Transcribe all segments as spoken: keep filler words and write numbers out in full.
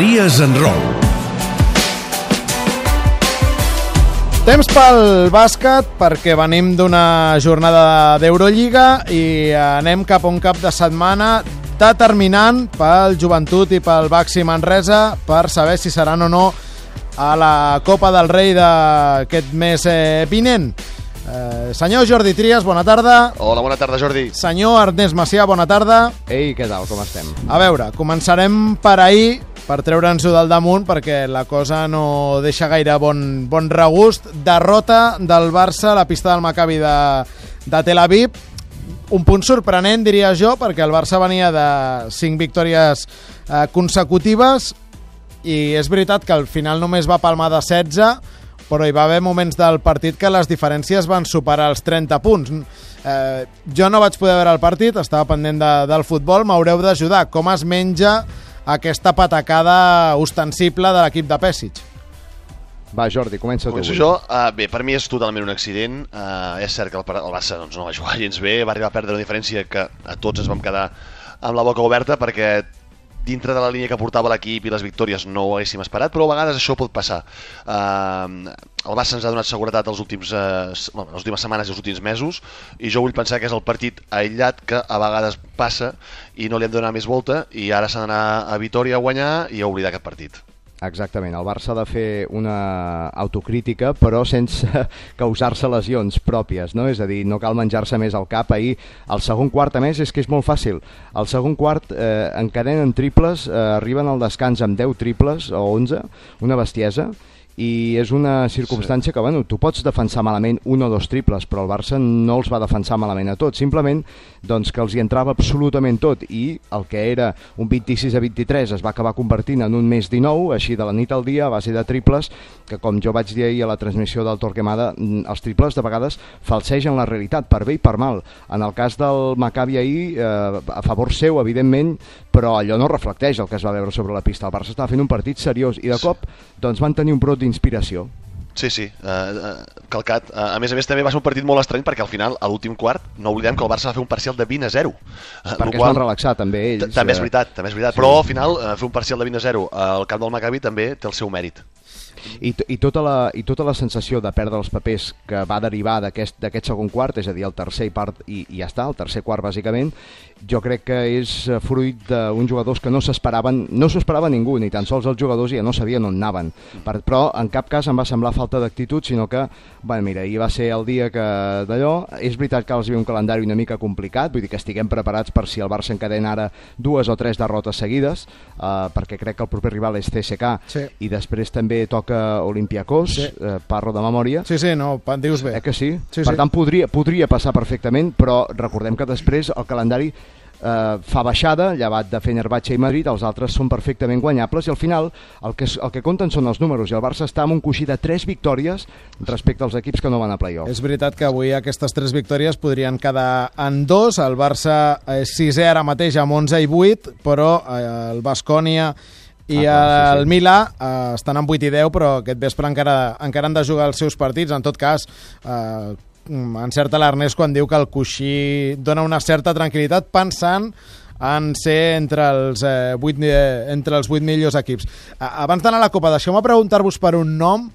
Trias en Roll. Temps pel bàsquet, perquè venim d'una jornada d'Eurolliga i anem cap a un cap de setmana determinant pel Joventut i pel Baxi Manresa per saber si seran o no a la Copa del Rei d'aquest mes eh, vinent. Eh, senyor Jordi Trias, bona tarda. Hola, bona tarda, Jordi. Senyor Ernest Macià, bona tarda. Ei, què tal, com estem? A veure, començarem per ahir, per treure'ns-ho del damunt, perquè la cosa no deixa gaire bon, bon regust. Derrota del Barça a la pista del Maccabi de, de Tel Aviv. Un punt sorprenent, diria jo, perquè el Barça venia de cinc victòries eh, consecutives i és veritat que al final només va palmar de setze, però hi va haver moments del partit que les diferències van superar els trenta punts. Eh, jo no vaig poder veure el partit, estava pendent de, del futbol, m'haureu d'ajudar. Com es menja aquesta patacada ostensible de l'equip de Pesic? Va, Jordi, comença tu. Començo jo. Uh, bé, per mi és totalment un accident. Uh, és cert que el, el Barça doncs, no va jugar gens bé, va arribar a perdre una diferència que a tots ens vam quedar amb la boca oberta perquè dintre de la línia que portava l'equip i les victòries no ho haguéssim esperat, però a vegades això pot passar. Uh, el Barça ens ha donat seguretat els últims, uh, bueno, les últimes setmanes i els últims mesos, i jo vull pensar que és el partit aïllat que a vegades passa i no li hem de donar més volta, i ara s'ha d'anar a Vitòria a guanyar i a oblidar aquest partit. Exactament, el Barça ha de fer una autocrítica però sense causar-se lesions pròpies, no? És a dir, no cal menjar-se més al cap. Ahir, el segon quart, a més, és que és molt fàcil. El segon quart eh, encadenen triples, eh, arriben al descans amb deu triples o onze, una bestiesa, i és una circumstància sí. que, bueno, tu pots defensar malament un o dos triples, però el Barça no els va defensar malament a tots, simplement doncs, que els hi entrava absolutament tot, i el que era un vint-i-sis a vint-i-tres es va acabar convertint en un més dinou, així de la nit al dia, a base de triples, que com jo vaig dir ahir a la transmissió del Torquemada, els triples de vegades falsegen la realitat, per bé i per mal. En el cas del Maccabi ahir, eh, a favor seu, evidentment, però allò no reflecteix el que es va veure sobre la pista. El Barça estava fent un partit seriós i de cop doncs, van tenir un brot d'inspiració. Sí, sí, uh, uh, calcat. Uh, a més a més també va ser un partit molt estrany perquè al final, a l'últim quart, no oblidem que el Barça va fer un parcial de vint a zero. Uh, perquè qual... es van relaxar també ells. També és veritat, també és veritat. Sí. Però al final uh, fer un parcial de vint a zero al camp del Maccabi també té el seu mèrit. I, i, tota la, i tota la sensació de perdre els papers que va derivar d'aquest segon quart, és a dir, el tercer i part, i, i ja està, el tercer quart bàsicament, jo crec que és fruit d'uns jugadors que no s'esperaven, no s'ho esperava ningú, ni tan sols els jugadors ja no sabien on anaven, per, però en cap cas em va semblar falta d'actitud, sinó que, bueno, mira, ahir va ser el dia que d'allò, és veritat que els hi ve un calendari una mica complicat, vull dir que estiguem preparats per si el Barça encadena ara dues o tres derrotes seguides, eh, perquè crec que el proper rival és C S K, sí. I després també toca Olympiacos, sí. eh, parlo de memòria. Sí, sí, no, dius bé. Eh que sí? sí per sí. tant, podria, podria passar perfectament, però recordem que després el calendari eh, fa baixada, llevat de Fenerbahçe i Madrid, els altres són perfectament guanyables i al final el que, el que compten són els números i el Barça està amb un coixí de tres victòries respecte als equips que no van a play-off. És veritat que avui aquestes tres victòries podrien quedar en dos, el Barça és sisè ara mateix amb onze i vuit, però eh, el Baskonia i ah, sí, sí. el Milà eh, estan en vuit i deu, però aquest vespre encara, encara han de jugar els seus partits. En tot cas, eh, encerta l'Ernest quan diu que el coixí dona una certa tranquil·litat pensant en ser entre els, eh, vuit, eh, entre els vuit millors equips. Eh, abans d'anar a la Copa, deixeu-me preguntar-vos per un nom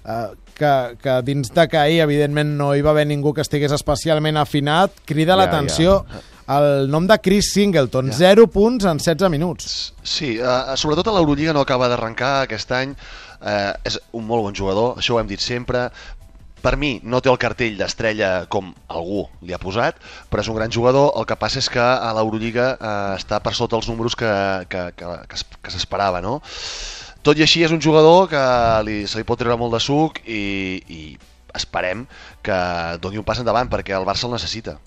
eh, que, que dins de que ahir, evidentment, no hi va haver ningú que estigués especialment afinat, crida ja, l'atenció... Ja. El nom de Chris Singleton, ja. zero punts en setze minuts. Sí, uh, sobretot a l'Eurolliga no acaba d'arrencar aquest any. Uh, és un molt bon jugador, això ho hem dit sempre. Per mi no té el cartell d'estrella com algú li ha posat, però és un gran jugador. El que passa és que a l'Eurolliga uh, està per sota els números que, que, que, que, que s'esperava, no? Tot i així és un jugador que li, se li pot treure molt de suc i, i esperem que doni un pas endavant perquè el Barça el necessita.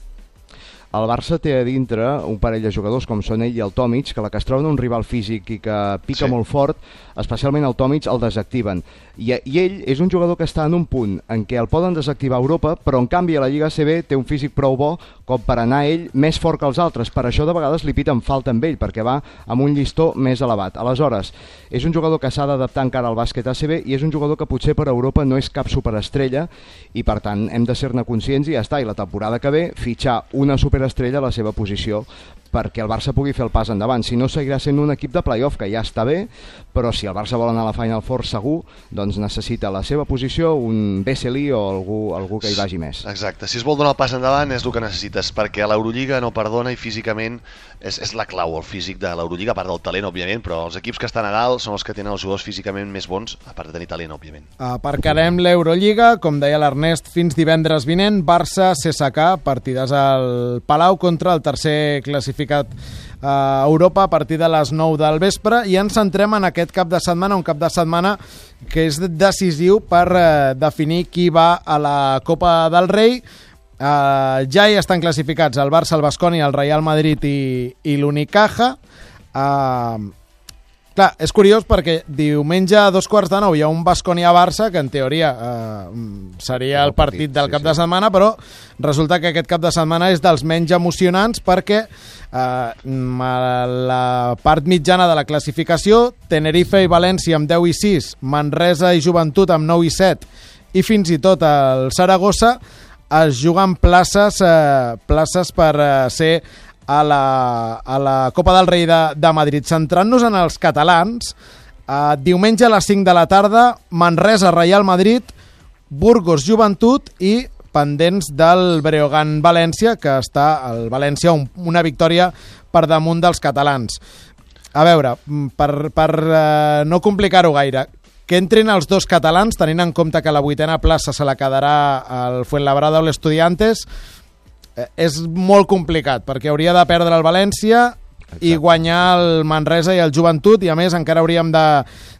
El Barça té a dintre un parell de jugadors com són ell i el Tomic, que la que es troben un rival físic i que pica sí. molt fort, especialment el Tomic, el desactiven. I, I ell és un jugador que està en un punt en què el poden desactivar a Europa, però en canvi a la Lliga A C B té un físic prou bo com per anar ell més fort que els altres. Per això de vegades li piten falta amb ell, perquè va amb un llistó més elevat. Aleshores, és un jugador que s'ha d'adaptar encara al bàsquet A C B i és un jugador que potser per Europa no és cap superestrella i per tant hem de ser-ne conscients i ja està. I la temporada que ve fitxar una superestrella a la seva posició perquè el Barça pugui fer el pas endavant. Si no, seguirà sent un equip de playoff, que ja està bé, però si el Barça vol anar a la Final Four segur, doncs necessita la seva posició, un Vesely o algú, algú que hi vagi més. Exacte, si es vol donar el pas endavant és el que necessites, perquè l'Eurolliga no perdona i físicament és, és la clau, el físic de l'Eurolliga, a part del talent, òbviament, però els equips que estan a dalt són els que tenen els jugadors físicament més bons, a part de tenir talent, òbviament. Aparcarem l'Eurolliga, com deia l'Ernest, fins divendres vinent, Barça C S K, partides al Palau contra el tercer classificat a Europa a partir de les nou del vespre, i ens centrem en aquest cap de setmana, un cap de setmana que és decisiu per eh, definir qui va a la Copa del Rei. Eh, ja hi estan classificats el Barça, el Baskonia, el Real Madrid i, i l'Unicaja. Eh, clar, és curiós perquè diumenge a dos quarts de nou hi ha un Baskonia-Barça que en teoria eh, seria el partit del cap de setmana, però resulta que aquest cap de setmana és dels menys emocionants perquè eh, a la part mitjana de la classificació, Tenerife i València amb deu i sis, Manresa i Joventut amb nou i set i fins i tot el Saragossa es juguen places, eh, places per eh, ser a la, a la Copa del Rei de, de Madrid. Centrant-nos en els catalans, eh, diumenge a les cinc de la tarda, Manresa, Real Madrid, Burgos, Joventut i pendents del Breogán València, que està al València un, una victòria per damunt dels catalans. A veure, per, per eh, no complicar-ho gaire, que entrin els dos catalans, tenint en compte que la vuitena plaça se la quedarà el Fuenlabrada o l'Estudiantes, eh, és molt complicat, perquè hauria de perdre el València. Exacte. I guanyar el Manresa i el Joventut, i a més encara hauríem de,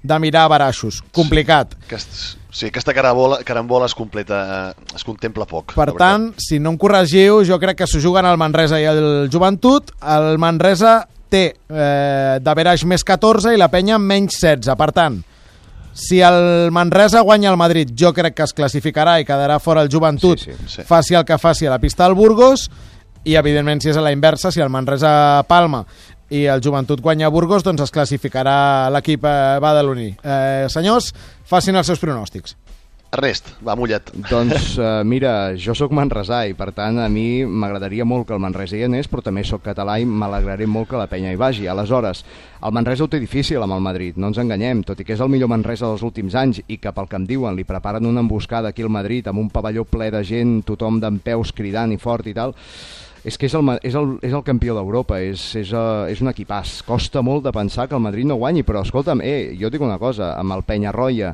de mirar a baraixos. Complicat. Sí, aquest, sí aquesta carambola, carambola es completa, es contempla poc. Per tant, si no em corregiu, jo crec que s'ho juguen el Manresa i el Joventut. El Manresa té eh, d'averaix més catorze i la Penya menys setze. Per tant, si el Manresa guanya el Madrid, jo crec que es classificarà i quedarà fora el Joventut, sí, sí, sí. Faci el que faci a la pista del Burgos. I, evidentment, si és a la inversa, si el Manresa palma i el Joventut guanya a Burgos, doncs es classificarà l'equip eh, badaloní. Eh, senyors, facin els seus pronòstics. Ernest, va, mullat. Doncs uh, mira, jo sóc manresà i per tant a mi m'agradaria molt que el Manresa hi anés, però també sóc català i m'alegraré molt que la Penya hi vagi. Aleshores, el Manresa ho té difícil amb el Madrid, no ens enganyem, tot i que és el millor Manresa dels últims anys i que pel que em diuen li preparen una emboscada aquí al Madrid amb un pavelló ple de gent, tothom dempeus cridant i fort i tal. És que és el, és el, és el campió d'Europa, és, és, uh, és un equipàs. Costa molt de pensar que el Madrid no guanyi, però escolta'm, eh, jo dic una cosa, amb el Penyarroia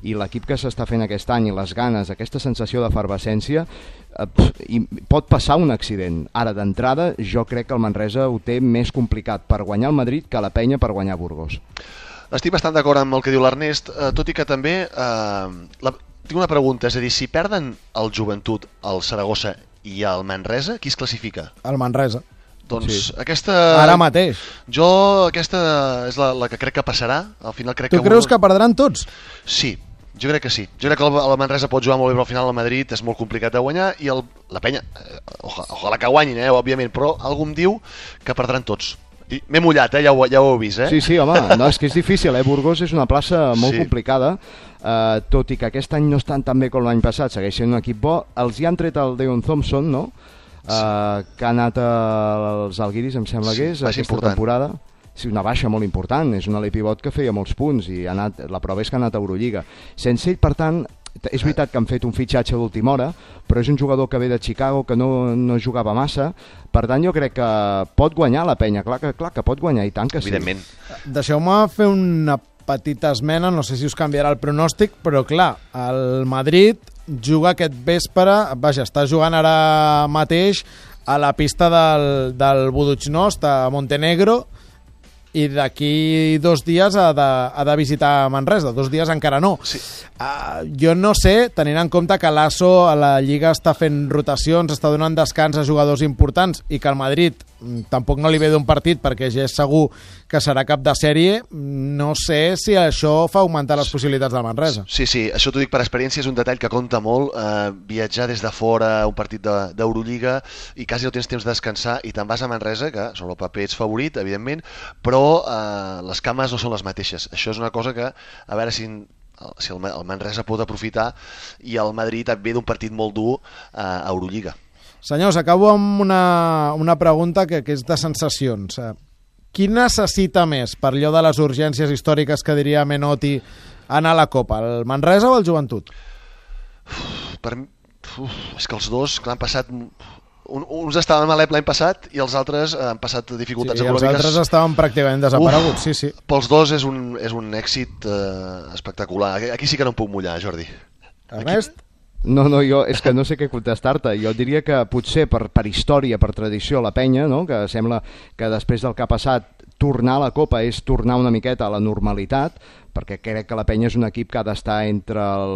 i l'equip que s'està fent aquest any i les ganes, aquesta sensació d'efervescència, eh, i pot passar un accident. Ara, d'entrada, jo crec que el Manresa ho té més complicat per guanyar el Madrid que la Penya per guanyar Burgos. Estic bastant d'acord amb el que diu l'Ernest, eh, tot i que també eh, la, tinc una pregunta, és a dir, si perden el Joventut, el Saragossa i el Manresa, qui es classifica? El Manresa. Doncs sí. aquesta... Ara mateix. Jo aquesta és la, la que crec que passarà. Al final crec tu que... creus que perdran tots? Sí, jo crec que sí. Jo crec que el, el Manresa pot jugar molt bé, però al final el Madrid és molt complicat de guanyar i el, la Penya, eh, ojalà, ojalà que guanyin, eh, òbviament, però algú em diu que perdran tots. M'he mullat, eh? ja, ho, ja ho heu vist. Eh? Sí, sí, home, no, és que és difícil, eh? Burgos és una plaça molt sí. complicada, uh, tot i que aquest any no estan tan bé com l'any passat, segueix sent un equip bo. Els hi han tret el Deon Thompson, no? Uh, sí. Que ha anat als Alguiris, em sembla sí, que és, aquesta important. temporada. Sí, una baixa molt important, és un ale pivot que feia molts punts i ha anat, la prova és que ha anat a Eurolliga. Sense ell, per tant, és veritat que han fet un fitxatge d'última hora, però és un jugador que ve de Chicago, que no, no jugava massa, per tant jo crec que pot guanyar la Penya, clar que, clar que pot guanyar, i tant que sí. Evidentment. Deixeu-me fer una petita esmena, no sé si us canviarà el pronòstic, però clar, el Madrid juga aquest vespre, vaja, està jugant ara mateix a la pista del, del Budućnost, a Montenegro, i d'aquí dos dies ha de, ha de visitar Manresa, dos dies encara no. Sí. Uh, jo no sé, tenint en compte que l'Asso a la Lliga està fent rotacions, està donant descans a jugadors importants i que el Madrid tampoc no li ve d'un partit perquè ja és segur que serà cap de sèrie, no sé si això fa augmentar les possibilitats del Manresa. Sí, sí, això t'ho dic per experiència, és un detall que compta molt, eh, viatjar des de fora a un partit d'Eurolliga i quasi no tens temps de descansar i te'n vas a Manresa, que sobre el paper ets favorit, evidentment, però eh, les cames no són les mateixes. Això és una cosa que, a veure si... si el Manresa pot aprofitar i el Madrid ve d'un partit molt dur a Eurolliga. Senyors, acabo amb una, una pregunta que, que és de sensacions. Qui necessita més, per allò de les urgències històriques que diria Menotti, anar a la Copa, el Manresa o el Joventut? Uf, per, uf, és que els dos, que l'han passat... Un, uns estaven a l'E P l'any passat i els altres han passat dificultats sí, econòmiques. Els altres estaven pràcticament desapareguts, uf, sí, sí. Pels dos és un, és un èxit eh, espectacular. Aquí sí que no em puc mullar, Jordi. Ernest? No, no, jo és que no sé què contestar-te. Jo diria que potser per, per història, per tradició, la penya, no? Que sembla que després del que ha passat tornar a la Copa és tornar una miqueta a la normalitat, perquè crec que la penya és un equip que ha d'estar entre el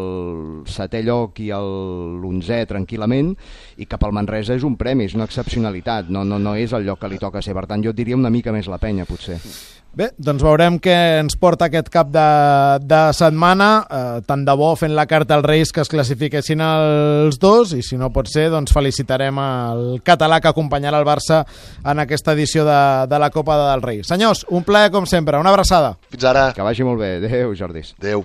setè lloc i l'onzè tranquil·lament, i que pel Manresa és un premi, és una excepcionalitat, no, no, no és el lloc que li toca ser. Per tant, jo diria una mica més la penya, potser. Bé, doncs veurem què ens porta aquest cap de, de setmana, eh, tant de bo fent la carta als Reis que es classifiquessin els dos, i si no pot ser, doncs felicitarem el català que acompanyarà el Barça en aquesta edició de, de la Copa dels Reis. Senyors, un plaer com sempre, una abraçada. Fins ara. Que vagi molt bé. Adéu, Jordi. Adéu.